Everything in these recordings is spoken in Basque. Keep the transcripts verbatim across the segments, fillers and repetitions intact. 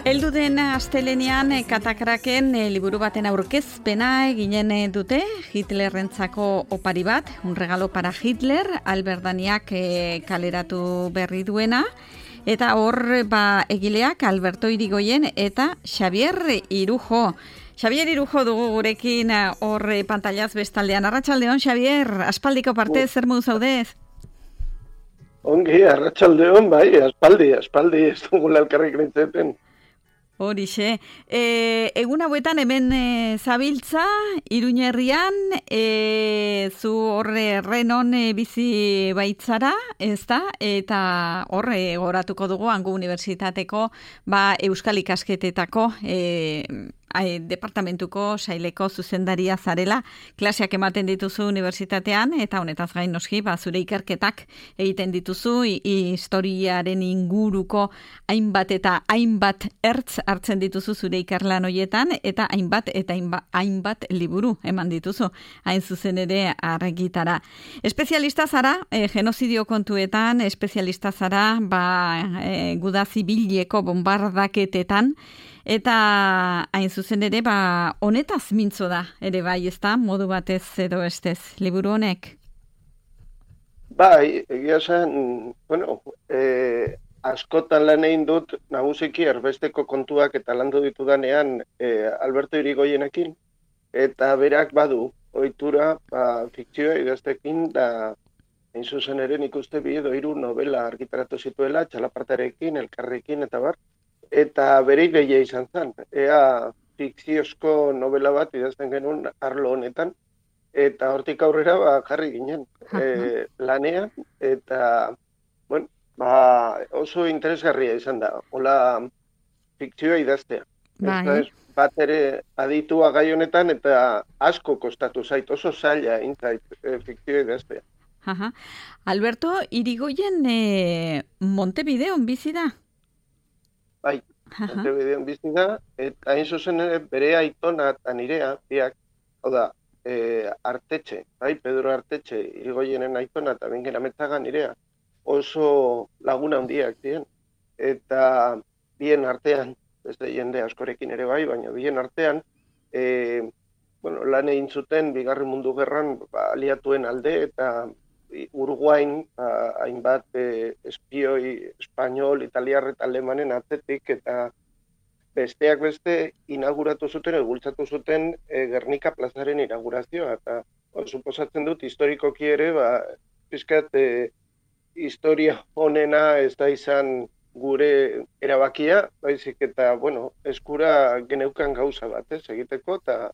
Heldu den astelenean Katakraken e, liburu baten aurkezpena eginen dute, Hitlerrentzako opari bat, un regalo para Hitler, Albert Daniak e, kaleratu berri duena, eta hor ba, egileak Alberto Irigoyen eta Xabier Irujo. Xabier Irujo dugu gurekin hor pantailaz bestaldean. Arratsaldeon, Xabier, aspaldiko parte, zer modu zaudez? Ongi, arratsaldeon, bai, aspaldi, aspaldi, ez dugula elkarrik nintzeten. Horixe. E, egun hauetan hemen e, zabiltza, Iruñerrian, e, zu horre renon e, bizi baitzara, ez da? Eta horre goratuko dugu Hango Unibertsitateko ba, Euskal Ikasketetako e, Ai, departamentuko saileko zuzendaria zarela, klaseak ematen dituzu unibertsitatean, eta honetaz gain noski, ba, zure ikerketak egiten dituzu, i, historiaren inguruko hainbat eta hainbat ertz hartzen dituzu zure ikerlan hoietan, eta hainbat eta hainbat, hainbat liburu eman dituzu, hain zuzen ere argitara. Espezialista zara, e, genozidio kontuetan, espezialista zara, ba, e, guda zibileko bombardaketetan, eta hain zuzen ere, ba, honetaz mintzo da, ere bai, ez da, modu batez edo estez, liburu honek? Bai, egia zen, bueno, e, askotan lan egin dut, nagusiki erbesteko kontuak eta landu ditudanean e, Alberto Irigoyenekin, eta berak badu, ohitura, ba, fikzioa idaztekin, da, hain zuzen ere nik uste bi edo hiru novela argitaratu zituela, Txalapartarekin, Elkarrekin, eta bar, eta bere ideia izan zen. Ea fikziozko novela bat idazten genuen arlo honetan, eta hortik aurrera ba, jarri ginen e, lanean, eta bueno, ba, oso interesgarria izan da, hola fikzioa idaztea. Bai. Ez bat ere aditua gai honetan, eta asko kostatu zait, oso zaila intzait e, fikzioa idaztea. Aha. Alberto Irigoyen e, Montevideon bizi da? Bai, Montevideon bizi da, eta hain zuzen ere bere aitona eta nirea, biak, hau da, e, Artetxe, bai, Pedro Artetxe, Irigoyenen aitona eta Bengen Ametzaga nirea, oso laguna handiak ziren. Eta bien artean, beste jende askorekin ere bai, baina bien artean, e, bueno, lan egin zuten Bigarren Mundu Gerran ba, aliatuen alde, eta Uruguain, ba, hainbat e, espioi, espainol, italiar eta alemanen atzetik, eta besteak beste inauguratu zuten, egultzatu zuten e, Gernika plazaren inaugurazioa, eta o, suposatzen dut historikoki ere, ba, pizkat e, historia honena ez da izan gure erabakia, baizik eta, bueno, eskura geneukan gauza bat, ez, egiteko, eta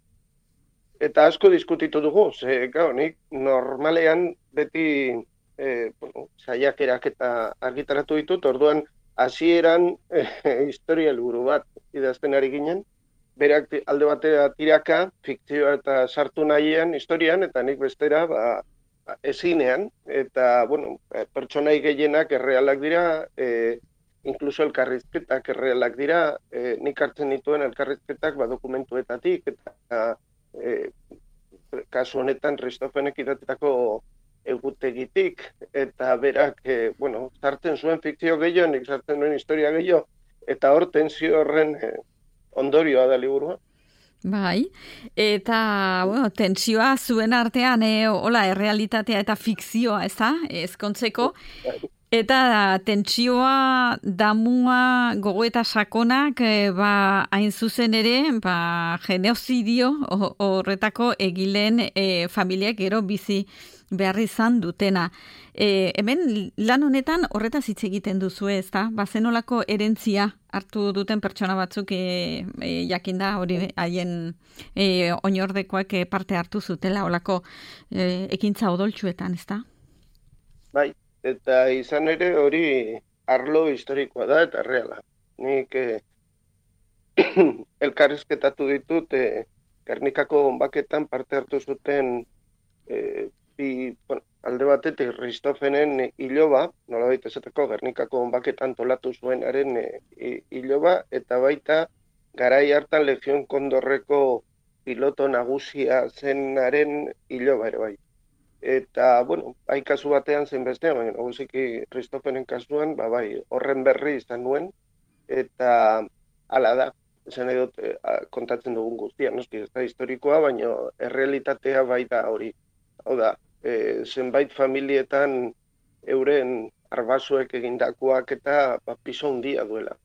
Eta asko diskutitu dugu, ze, gau, nik normalean beti e, bueno, saiakerak eta argitaratu ditut, orduan hasieran e, historia helburu bat idazten ari ginen, berak alde batera tiraka, fikzioa eta sartu nahian historian, eta nik bestera ba, ezinean, eta bueno, pertsonai gehienak errealak dira, e, inkluso elkarrizketak errealak dira, e, nik hartzen dituen elkarrizketak ba, dokumentuetatik, eta E, kasu honetan Ristofenek idatetako egutegitik, eta berak, e, bueno, sartzen zuen fikzio gehiago, nik sartzen duen historia gehiago, eta hor tensio horren e, ondorioa da liburua. Bai, eta bueno, tensioa zuen artean, e, hola, errealitatea eta fikzioa, ez da, ezkontzeko, eta tentsioa, damua, gogoeta sakonak, e, ba, hain zuzen ere, ba, genozidio horretako egileen e, familiak gero bizi behar izan dutena. E, hemen lan honetan horretaz hitz egiten duzu, ez da? Ba, zenolako erentzia hartu duten pertsona batzuk e, e, jakinda hori haien e, oinordekoak e, parte hartu zutela holako e, ekintza odoltsuetan, ez da? Bai. Eta izan ere hori arlo historikoa da eta reala. Nik eh, elkarrizketatu ditut eh, Gernikako bonbaketan parte hartu zuten eh, bi, bueno, alde batetik Ristofenen iloba, nolabait esateko Gernikako bonbaketan tolatu zuenaren eh, iloba, eta baita garai hartan Legion Kondorreko piloto nagusia zenaren iloba ere bai. Eta, bueno, bai kasu batean zen bestean, baina nagusiki Ristofenen kasuan, ba, bai, horren berri izan nuen, eta hala da. Esan edot, kontatzen dugun guztia, noski, ez da historikoa, baina errealitatea bai da hori. Hau da, e, zenbait familietan euren arbasuek egindakoak eta ba, piso handia duela.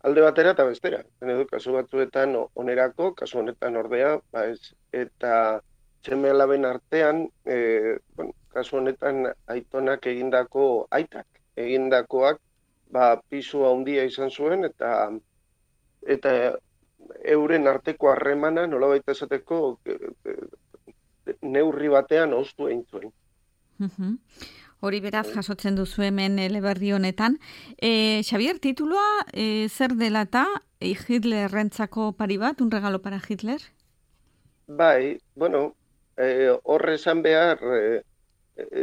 Alde batera eta bestera. Edo, kasu batzuetan onerako, kasu honetan ordea, ba ez, eta seme alaben artean, e, bueno, kasu honetan aitonak egindako, aitak egindakoak, ba, pisu handia izan zuen, eta eta euren arteko harremana nolabait esateko e, e, neurri batean oztu egin zuen. Uh-huh. Hori beraz jasotzen duzu hemen eleberri honetan. E, Xavier, tituloa e, zer dela eta e, Hitlerrentzako pari bat, un regalo para Hitler? Bai, bueno, e, horre esan behar, e,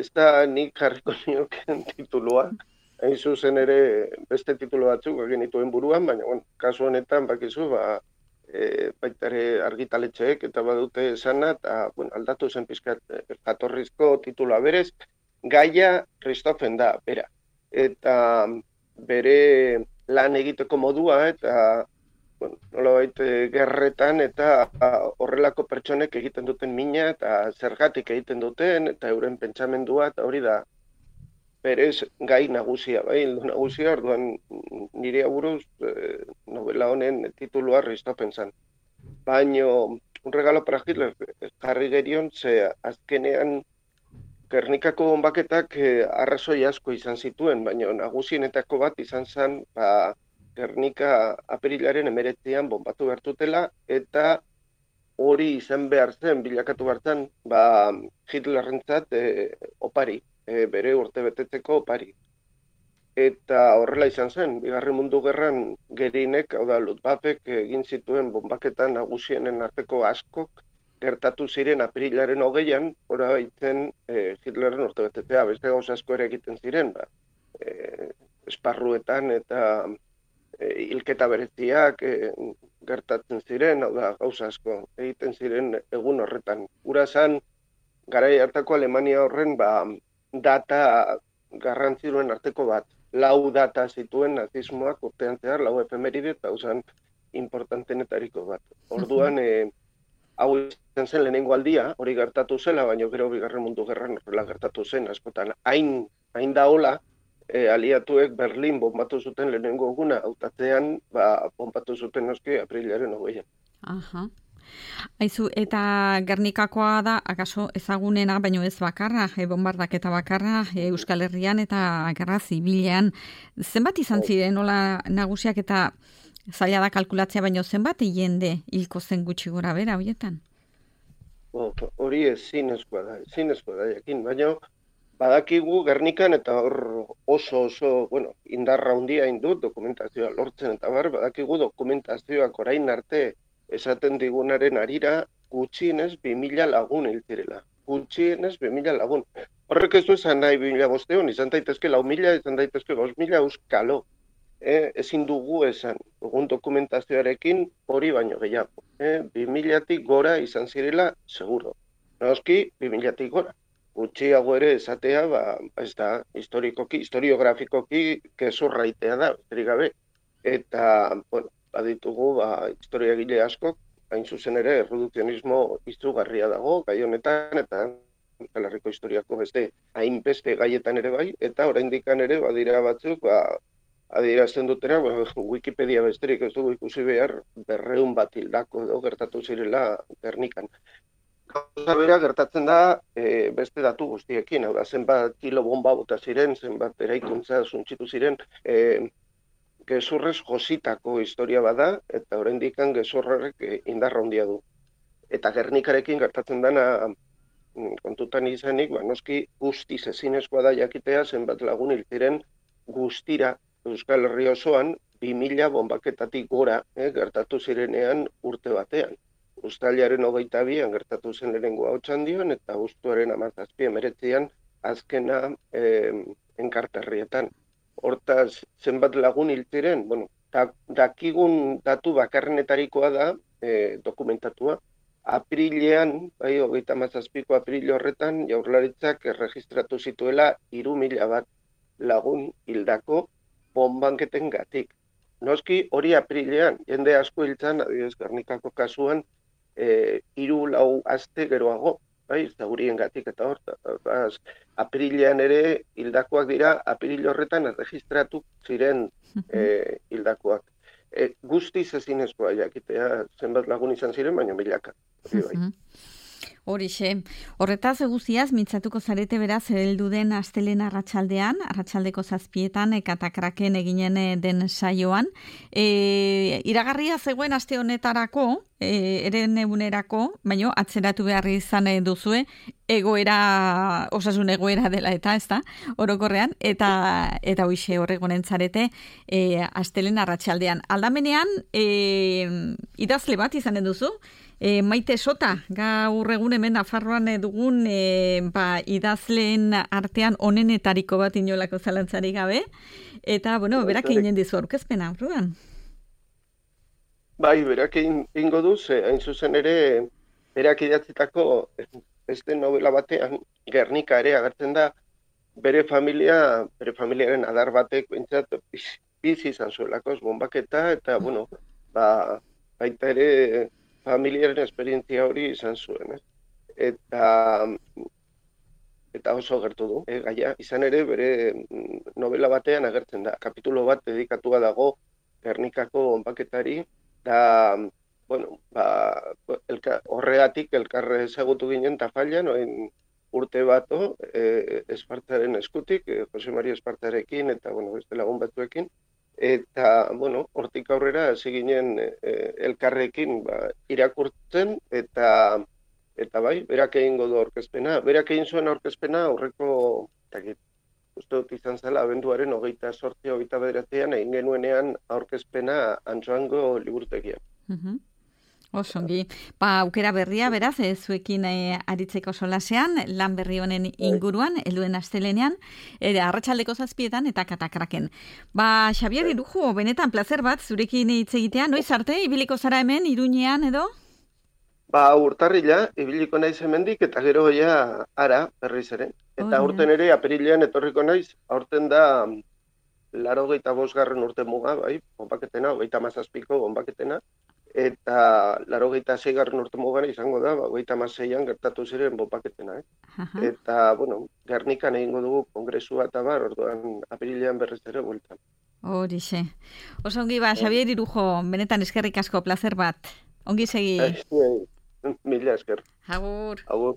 ez da nik jarriko nioken titulua, hain zuzen ere beste titulo batzuk egin dituen buruan, baina bueno, kasu honetan bakizu, ba, e, baitare argitaletxeek eta badute esana, eta bueno, aldatu zen pizkat jatorrizko titulua berez, Gaia Ristofen da, bera. Eta bere lan egiteko modua, eta bueno, nolabait gerretan, eta horrelako pertsonek egiten duten mina, eta zergatik egiten duten, eta euren pentsamendua, eta hori da, berez gai nagusia, bai, hildo nagusia, orduan nire aburuz eh, novela honen titulua Ristofen zan. Baina, un regalo para Hitler jarri gerion, ze azkenean Gernikako bonbaketak eh, arrazoi asko izan zituen, baina nagusienetako bat izan zen ba, Gernika apirilaren emeretzean bonbatu bertutela, eta hori izan behar zen, bilakatu behar zen, ba, Hitlerrentzat eh, opari, eh, bere urte betetzeko opari. Eta horrela izan zen, Bigarren Mundu Gerran gerinek, hau da, Luftwaffek egin zituen bonbaketan nagusienen arteko askok, gertatu ziren apirilaren hogeian, ora baitzen e, Hitlerren urtebetetzea, beste gauza asko ere egiten ziren, ba, e, esparruetan eta e, hilketa bereziak e, gertatzen ziren, hau da gauza asko egiten ziren egun horretan. Ura zan, garai hartako Alemania horren ba, data garrantziruen arteko bat, lau data zituen nazismoak urtean zehar, lau efemeride, eta usan importantenetariko bat. Orduan, e, hau izan zen lehenengo aldia, hori gertatu zela, baina gero Bigarren Mundu Gerran horrela gertatu zen, askotan hain, hain da hola, e, aliatuek Berlin bombatu zuten lehenengo eguna, hautatzean, ba, bombatu zuten noski aprilaren hogeian. Aha. Aizu, eta Gernikakoa da, akaso ezagunena, baino ez bakarra, e, bombardaketa bakarra, e, Euskal Herrian eta gerra zibilean. Zenbat izan ziren, nola nagusiak eta zaila da kalkulatzea, baino zenbat jende hilko zen gutxi gora bera horietan? Hori ez zinezkoa da, zinezkoa da jakin, baina badakigu Gernikan eta hor oso oso, bueno, indarra handia indut dokumentazioa lortzen eta bar, badakigu dokumentazioak orain arte esaten digunaren arira gutxienez bi mila lagun hiltzirela. Gutxienez bi mila lagun. Horrek ez du esan nahi bi mila bosteon, izan daitezke lau mila, izan daitezke bost mila euskalo. Eh, ezin dugu esan, dugun dokumentazioarekin hori baino gehiago. Eh, bi milatik gora izan zirela, seguro. Noski, bi milatik gora. Gutxiago ere esatea, ba, ez da, historikoki, historiografikoki, kezurraitea da, besterik gabe. Eta, bueno, baditugu, ba, historiagile askok, hain zuzen ere, erredukzionismo izugarria dago, gai honetan, eta Euskal Herriko historiako beste, hainbeste gaietan ere bai, eta oraindikan ere, badira batzuk, ba, adierazten dutera, Wikipedia besterik ez dugu ikusi behar, berreun bat hildako edo gertatu zirela Gernikan. Gauza bera gertatzen da e, beste datu guztiekin, hau da, zenbat kilo bomba bota ziren, zenbat eraikuntza suntxitu ziren, e, gezurrez jositako historia bada, eta oraindikan gezurrarek e, indarra handia du. Eta Gernikarekin gertatzen dana kontutan izanik, ba, noski guztiz ezinezkoa da jakitea zenbat lagun hil ziren guztira Euskal Herri osoan bi mila bombaketatik gora eh, gertatu zirenean urte batean. Uztailaren hogeita bian gertatu zen lehenengoa Otxandion eta abuztuaren hamazazpi hemeretzian azkena eh, Enkarterrietan. Hortaz, zenbat lagun hil ziren, bueno, da, dakigun datu bakarrenetarikoa da eh, dokumentatua. Aprilean, bai, hogeita hamazazpiko april horretan, Jaurlaritzak erregistratu zituela hiru mila bat lagun hildako bonbanketen gatik. noski hori aprilean, jende asko hiltzan, adibidez, Gernikako kasuan, e, hiru lau aste geroago, bai, zaurien gatik eta hor, aprilean ere hildakoak dira, april horretan erregistratu ziren e, hildakoak. E, guztiz ezinezkoa jakitea zenbat lagun izan ziren, baina milaka. Hori bai. Horixe, horretaz guztiaz, mintzatuko zarete beraz, heldu den astelehen arratsaldean, arratsaldeko zazpietan, katakraken eginen den saioan. E, iragarria zegoen aste honetarako, e, eren egunerako, baina atzeratu behar izan duzue, egoera, osasun egoera dela eta, ez da, orokorrean, eta eta hoixe horregonen zarete, e, astelehen arratsaldean. Aldamenean, e, idazle bat izanen duzu, E, Maite Sota, gaur egun hemen Nafarroan dugun e, ba, idazleen artean onenetariko bat inolako zalantzarik gabe. Eta, bueno, berak egin dizu aurkezpena, Rudan? Bai, berak ingo du, ze hain zuzen ere, berak idatzitako beste novela batean, Gernika ere agertzen da, bere familia, bere familiaren adar batek, bintzat, bizi izan zuelako, bombaketa, eta, bueno, ba, baita ere, familiaren esperientzia hori izan zuen, eh? Eta, eta oso gertu du, eh, gaia. Izan ere, bere novela batean agertzen da. Kapitulo bat dedikatua dago Gernikako bonbaketari, da, bueno, ba, elka, horregatik elkarre ezagutu ginen Tafallan, oin urte bato, eh, Espartaren eskutik, eh, Jose Maria Espartarekin, eta, bueno, beste lagun batzuekin, eta, bueno, hortik aurrera hasi ginen e, elkarrekin ba, irakurtzen, eta eta bai, berak egingo du aurkezpena. Berak egin zuen aurkezpena aurreko, takit, uste dut izan zela, abenduaren hogeita sortzi, hogeita bederatzean, egin genuenean aurkezpena Antsoango liburutegian. Uh-huh. Osongi, ba, aukera berria, beraz, e, zuekin e, aritzeko solasean, lan berri honen inguruan, helduen astelenean, e, arratsaldeko zazpietan eta katakraken. Ba, Xabier Irujo, benetan plazer bat, zurekin hitz egitea, noiz arte, ibiliko zara hemen, Iruñean edo? Ba, urtarrila, ibiliko naiz hemendik, eta gero ja ara, berriz ere. Eta oh, aurten ere, apirilean etorriko naiz, aurten da, laro geita bosgarren urte muga, bai, bonbaketena, hogeita mazazpiko bonbaketena, eta laurogeita seigarren urte mugara izango da, hogeita hamaseian gertatu ziren bonbaketena, eh? Eta, bueno, Gernikan egingo dugu kongresua eta bar, orduan apirilean berriz ere bueltan. Horixe. Oso ongi ba, Xabier Irujo, benetan eskerrik asko, plazer bat. Ongi segi. Mila esker. Agur. Agur.